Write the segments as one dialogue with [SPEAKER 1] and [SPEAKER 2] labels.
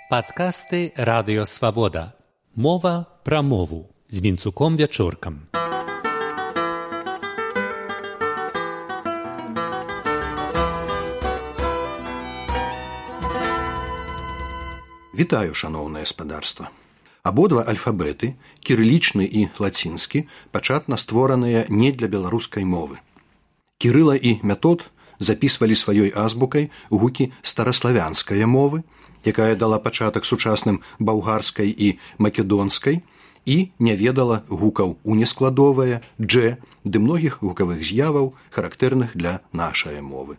[SPEAKER 1] Падкасты Радыё Свабода. Мова пра мову з Вінцуком Вячоркам.
[SPEAKER 2] Вітаю, шаноўнае спадарства. Абодва альфабеты, кірылічны і лацінскі, пачатна створаныя не для беларускай мовы. Кірыла і Метод запісвалі сваёй азбукай гукі стараславянскай мовы, якая дала пачатак сучасным балгарскай і македонскай, і не ведала гукаў унескладовая, дж, ды многіх гукавых з'яваў, характэрных для нашай мовы.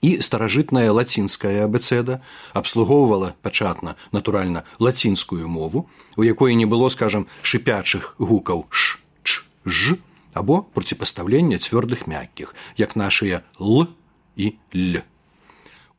[SPEAKER 2] І старажытная лацінская абэцэда абслугоўвала пачатна, натуральна, лацінскую мову, у якой не было, скажам, шыпячых гукаў ш, ч, ж, або проціпастаўлення цвёрдых мяккіх, як нашыя л і л.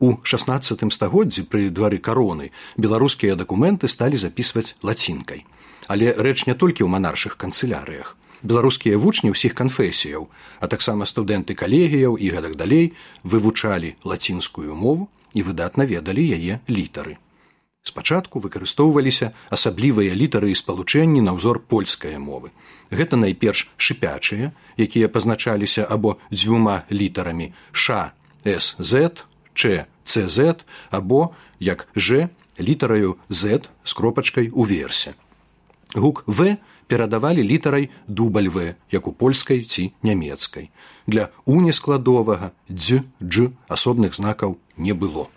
[SPEAKER 2] У 16 стагоддзі пры двары кароны беларускія дакументы сталі запісваць лацінкай. Але рэч не толькі ў манаршых канцылярыях. Беларускія вучні ўсіх канфесіяў, а таксама студэнты калегіяў і гэтак далей вывучалі лацінскую мову і выдатна ведалі яе літары. Спачатку выкарыстоўваліся асаблівыя літары і спалучэнні на ўзор польскай мовы. Гэта найперш шыпячыя, якія пазначаліся або дзвюма літарамі ш, с, з, ч, ц, з, або, як ж, літараю з з кропачкай уверсе. Гук в перадавалі літарай дубль в, як у польскай ці нямецкай. Для унескладовага дз, дж асобных знакаў не было.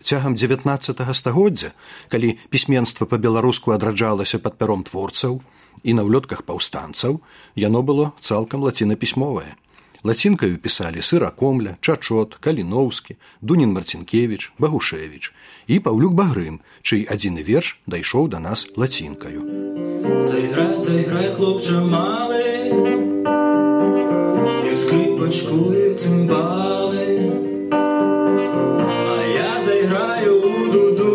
[SPEAKER 2] Цягам 19 стагоддзя, калі пісьменства па-беларуску адраджалася пад пяром творцаў і на ўлётках паўстанцаў, яно было цалкам лацінапісьмовае. Лацінкаю пісалі Сыракомля, Чачот, Каліноўскі, Дунін-Марцінкевіч, Багушевіч і Паўлюк Багрым, чый адзіны верш дайшоў да нас лацінкаю.
[SPEAKER 3] Зайграй, зайграй, хлопча малы, і скрипочку, і цимбали, а я зайграю у дуду,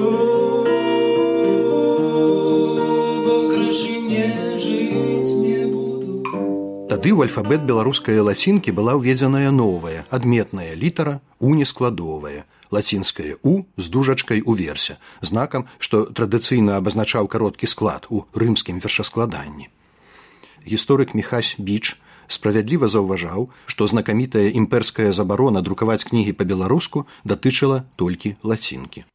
[SPEAKER 3] бо краще не жыць не буду.
[SPEAKER 2] Тады ў альфабет беларускай лацінкі была ўведзеная новая, адметная літара унескладовая, лацінская у з дужачкай уверсе, знакам, што традыцыйна абазначаў кароткі склад у рымскім вершаскладанні. Гісторык Міхась Біч справядліва заўважаў, што знакамітая імперская забарона друкаваць кнігі па-беларуску датычыла толькі лацінкі.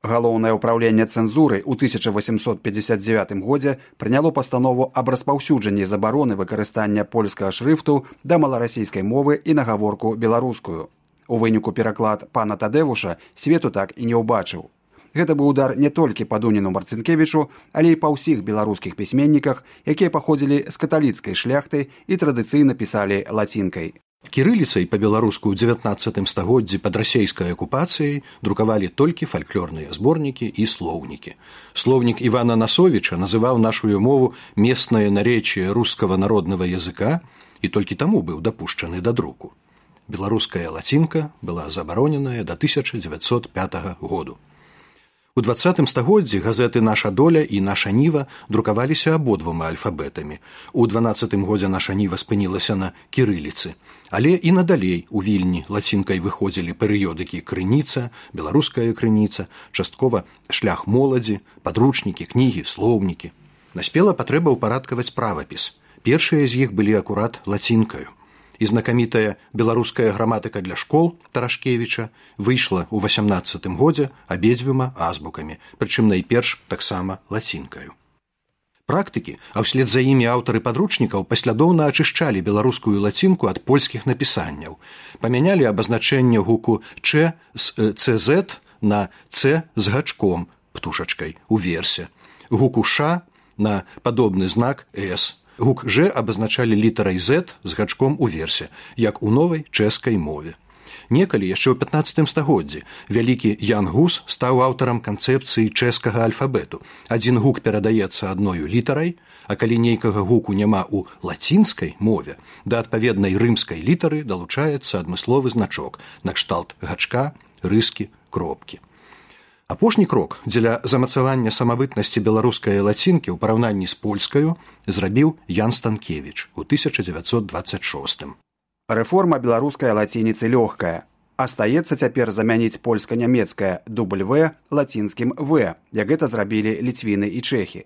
[SPEAKER 4] Галоўнае ўпраўленне цэнзуры ў 1859 годзе прыняло пастанову аб распаўсюджанні забароны выкарыстання польскага шрыфту да маларасійскай мовы і нагаворку беларускую. У выніку пераклад пана Тадэвуша свету так і не ўбачыў. Гэта быў удар не толькі па Дуніну Марцінкевічу, але і па ўсіх беларускіх пісьменніках, якія паходзілі з каталіцкай шляхты і традыцыйна пісалі лацінкай.
[SPEAKER 2] Кірыліцай па-беларуску ў 19 стагоддзі пад расейскай акупацыяй друкавалі толькі фальклорныя зборнікі і слоўнікі. Слоўнік Івана Насовіча называў нашую мову «местное наречие русского народного языка» і толькі таму быў дапушчаны да друку. Беларуская лацінка была забароненая да 1905 году. У 20 стагоддзі газеты «Наша доля» і «Наша ніва» друкаваліся абодвума альфабетамі. У 12 годзе «Наша ніва» спынілася на кірыліцы. Але і надалей у Вільні лацінкай выходзілі перыёдыкі «Крыніца», «Беларуская крыніца», часткова «Шлях моладзі», падручнікі, кнігі, слоўнікі. Наспела патрэба ўпарадкаваць правапіс. Першыя з іх былі акурат лацінкаю. І знакамітая беларуская граматыка для школ Тарашкевіча выйшла ў 18 годзе абедзвюма азбукамі, прычым найперш таксама лацінкаю. Практыкі, а ўслед за імі аўтары падручнікаў паслядоўна ачышчалі беларускую лацінку ад польскіх напісанняў, памянялі абазначэнне гуку «ч» з «цз» на «ц» з гачком, птушачкай, у версе, гуку «ш» на падобны знак «с». Гук «ж» абазначалі літарай «з» з гачком у версе, як у новай чэшскай мове. Некалі, яшчэ ў 15 стагоддзі, вялікі Ян Гус стаў аўтарам канцэпцыі чэшскага альфабету. Адзін гук перадаецца адною літарай, а калі нейкага гуку няма ў лацінскай мове, да адпаведнай рымскай літары далучаецца адмысловы значок, накшталт гачка, рыскі, кропкі. Апошні крок дзеля замацавання самабытнасці беларускай лацінкі ў параўнанні з польскаю зрабіў Ян Станкевіч у 1926.
[SPEAKER 4] Рэформа беларускай лацініцы лёгкая. Астаецца цяпер замяніць польска-нямецкае W лацінскім V, як гэта зрабілі ліцвіны і чэхі.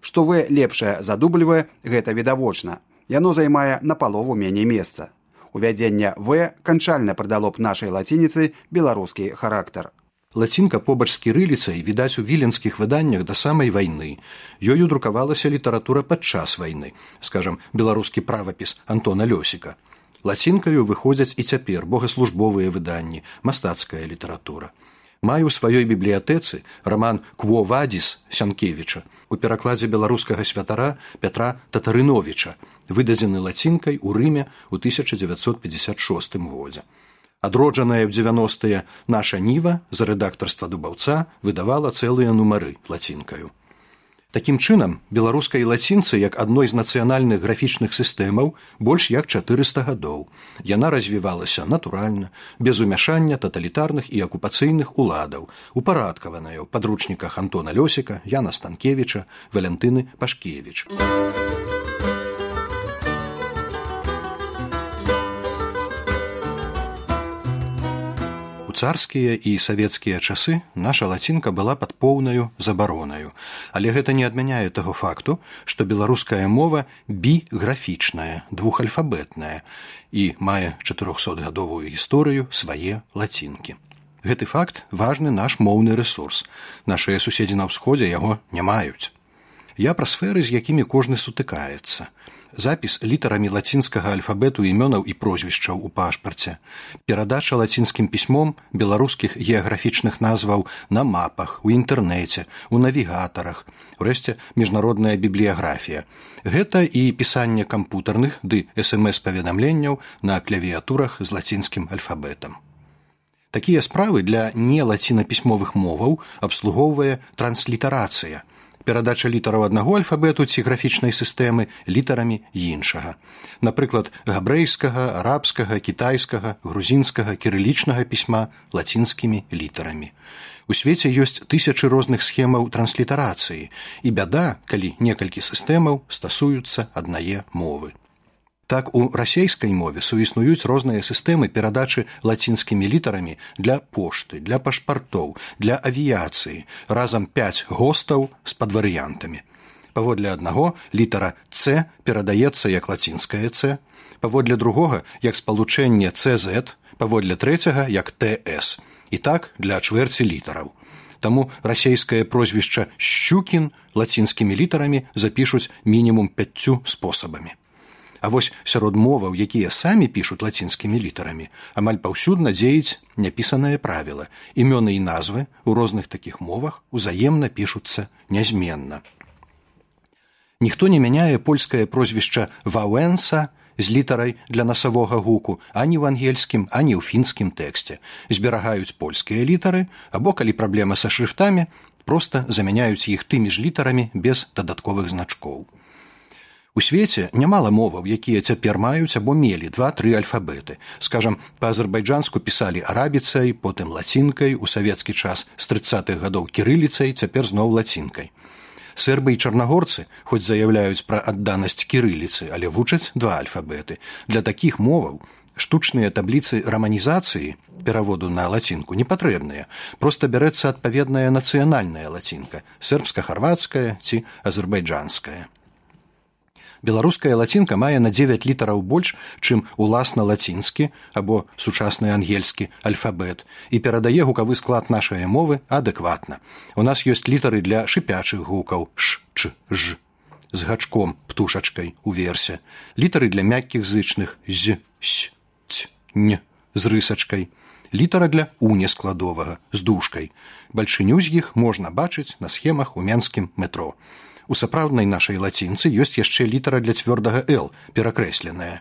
[SPEAKER 4] Што V лепшае за W, гэта відавочна. Яно займае напалову меней месца. Увядзенне V канчальна прыдало б нашай лацініцы беларускі характар.
[SPEAKER 2] Лацінка побач з кірыліцай відаць у віленскіх выданнях да самай вайны. Ёю друкавалася літаратура падчас вайны, скажам, беларускі правапіс Антона Лёсіка. Лацінкаю выходзяць і цяпер богаслужбовыя выданні, мастацкая літаратура. Маю ў сваёй бібліятэцы раман «Кво вадіс» Сянкевіча у перакладзе беларускага святара Пятра Татарыновіча, выдадзены лацінкай у Рыме ў 1956 годзе. Адроджаная ў 90-е «Наша Ніва» за рэдактарства Дубаўца выдавала цэлыя нумары лацінкаю. Такім чынам, беларускай лацінцы як адной з нацыянальных графічных сістэмаў больш як 400 гадоў. Яна развівалася натуральна, без умяшання таталітарных і акупацыйных уладаў, упарадкаваная ў падручніках Антона Лёсіка, Яна Станкевіча, Валентыны Пашкевіч. У царскія і савецкія часы наша лацінка была пад поўнаю забаронаю, але гэта не адмяняе таго факту, што беларуская мова біграфічная, двухальфабетная і мае 400-гадовую гісторыю свае лацінкі. Гэты факт важны наш моўны рэсурс. Нашыя суседзі на ўсходзе яго не маюць. Я пра сферы, з якімі кожны сутыкаецца. Запіс літарамі лацінскага альфабету імёнаў і прозвішчаў у пашпарце, перадача лацінскім пісьмом беларускіх геаграфічных назваў на мапах, у інтэрнэце, у навігатарах, урэшце міжнародная бібліяграфія. Гэта і пісанне кампутарных ды СМС-паведамленняў на клавіятурах з лацінскім альфабетам. Такія справы для нелацінапісьмовых моваў абслугоўвае транслітарацыя, перадача літараў аднаго альфабету ці графічнай сістэмы літарамі іншага. Напрыклад, габрэйскага, арабскага, кітайскага, грузінскага, кірылічнага пісьма лацінскімі літарамі. У свеце ёсць тысячы розных схемаў транслітарацыі, і бяда, калі некалькі сістэмаў стасуюцца аднае мовы. Так, у расейскай мове суіснуюць розныя сістэмы перадачы лацінскімі літарамі для пошты, для пашпартоў, для авіяцыі, разам 5 гостаў з падварыянтамі. Паводле аднаго літара «Ц» перадаецца як лацінская «Ц», паводле другога як спалучэнне «ЦЗ», паводле трэцяга як «ТС». І так для чвэрці літараў. Таму расейскае прозвішча «Шчукін» лацінскімі літарамі запішуць мінімум 5 спосабамі. А вось сярод моваў, якія самі пішуць лацінскімі літарамі, амаль паўсюдна дзеюць няпісанае правіла. Імёны і назвы ў розных такіх мовах узаемна пішуцца нязменна. Ніхто не мяняе польскае прозвішча «Ваўэнса» з літарай для насавога гуку ані ў ангельскім, ані ў фінскім тэксце. Зберагаюць польскія літары, або, калі праблема са шрыфтамі, проста замяняюць іх тымі ж літарамі без дадатковых значкоў. У свеце нямала моваў, якія цяпер маюць або мелі 2-3 альфабеты. Скажам, па-азербайджанску пісалі арабіцай, потым лацінкай, у савецкі час з 30-х гадоў кірыліцай, цяпер зноў лацінкай. Сербы і чарнагорцы, хоць заяўляюць пра адданасць кірыліцы, але вучаць 2 альфабеты. Для такіх моваў штучныя табліцы раманізацыі, пераводу на лацінку, не патрэбныя. Проста бярэцца адпаведная нацыянальная лацінка, сербска-харвацкая ці азербайджанская. Беларуская лацінка мае на 9 літараў больш, чым уласна лацінскі або сучасны ангельскі альфабет і перадае гукавы склад нашай мовы адэкватна. У нас ёсць літары для шыпячых гукаў «ш», «ч», «ж», з гачком, птушачкай, уверсе, літары для мяккіх зычных «з», «с», «ц», «н», з рысачкай, літара для унескладовага, з дужкай. Бальшыню з іх можна бачыць на схемах у менскім метро. У сапраўднай нашай лацінцы ёсць яшчэ літара для цвёрдага «л», перакрэсленая.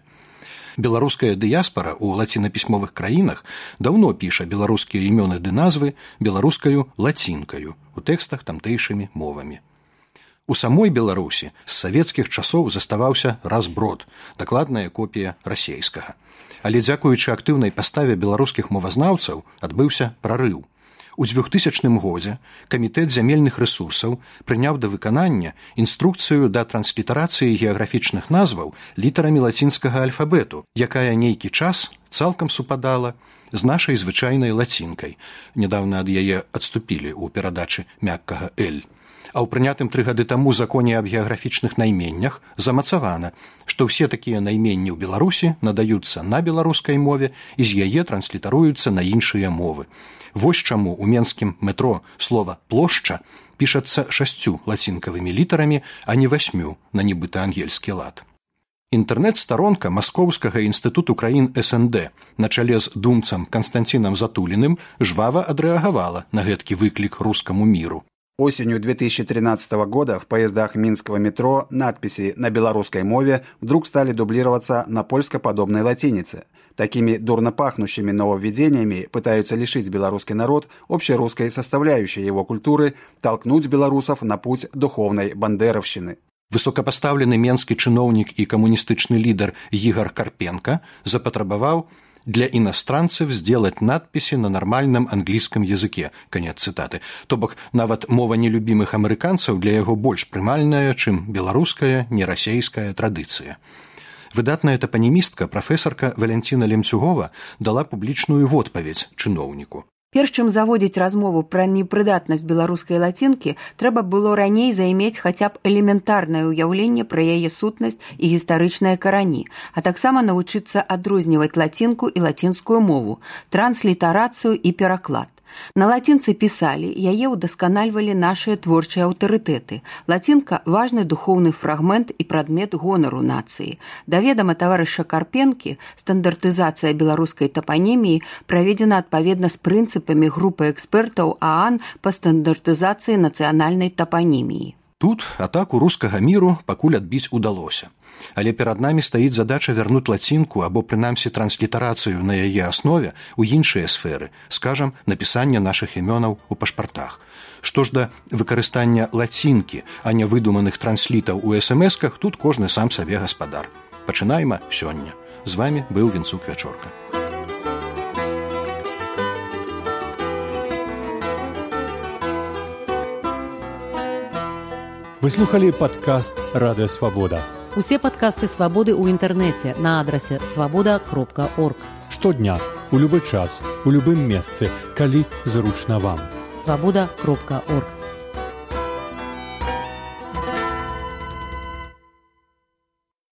[SPEAKER 2] Беларуская дыяспара ў лацінапісьмовых краінах даўно піша беларускія імёны ды назвы беларускаю лацінкаю, у тэкстах тамтэйшымі мовамі. У самой Беларусі з савецкіх часоў заставаўся разброд, дакладная копія расейскага. Але дзякуючы актыўнай паставе беларускіх мовазнаўцаў адбыўся прарыў. У 2000 годзе Камітэт зямельных рэсурсаў прыняў да выканання інструкцыю да транслітарацыі геаграфічных назваў літарамі лацінскага альфабету, якая нейкі час цалкам супадала з нашай звычайнай лацінкай. Нядаўна ад яе адступілі ў перадачы мяккага «Л». А ў прынятым 3 гады таму законе аб геаграфічных найменнях замацавана, што ўсе такія найменні ў Беларусі надаюцца на беларускай мове і з яе транслітаруюцца на іншыя мовы. Вось чаму ў менскім метро слова «плошча» пішацца 6 лацінкавымі літарамі, а не 8 на нібыта ангельскі лад. Інтэрнэт-старонка Маскоўскага інстытуту краін СНД на чале з думцам Канстанцінам Затуліным жвава адрэагавала на гэткі выклік рускаму миру.
[SPEAKER 4] Осенью 2013 года в поездах минского метро надписи на белорусской мове вдруг стали дублироваться на польскоподобной латинице. Такими дурно пахнущими нововведениями пытаются лишить белорусский народ общерусской составляющей его культуры, толкнуть белорусов на путь духовной бандеровщины.
[SPEAKER 2] Высокопоставлены менскі чыноўнік і камуністычны лідар Ігор Карпенко запатрабаваў для иностранцев сделать надписи на нормальном английском языке. Конец цитаты. То бок нават мова нелюбімых амерыканцаў для яго больш прымальная, чым беларуская, нерасейская традыцыя. Выдатная тапанімістка, прафесарка Валянціна Лемцюгова дала публічную водпаведзь чыноўніку.
[SPEAKER 5] Перш чым заводзіць размову пра непрыдатнасць беларускай лацінкі, трэба было раней займець хаця б элементарнае ўяўленне пра яе сутнасць і гістарычныя карані, а таксама навучыцца адрозніваць лацінку і лацінскую мову, транслітарацыю і пераклад. На лацінцы пісалі, яе ўдасканальвалі нашыя творчыя аўтарытэты. Лацінка – важны духоўны фрагмент і прадмет гонару нацыі. Да ведама таварыша Карпенкі, стандартызацыя беларускай тапаніміі праведзена адпаведна з прынцыпамі групы экспертаў ААН па стандартызацыі нацыянальнай тапаніміі.
[SPEAKER 2] Тут атаку рускага міру пакуль адбіць удалося. Але перад намі стаіць задача вярнуць лацінку або прынамсі транслітарацыю на яе аснове ў іншыя сферы, скажам, напісання нашых імёнаў у пашпартах. Што ж да выкарыстання лацінкі, а не выдуманых транслітаў у смс-ках, тут кожны сам сабе гаспадар. Пачынайма сёння. З вамі быў Вінцук Вячорка.
[SPEAKER 1] Вы слухали падкаст «Радыё Свабода».
[SPEAKER 6] Усе падкасты «Свабоды» ў інтэрнэце на адрасе свабода.орг.
[SPEAKER 1] Штодня, у любы час, у любым месцы, калі зручна вам.
[SPEAKER 6] свабода.орг.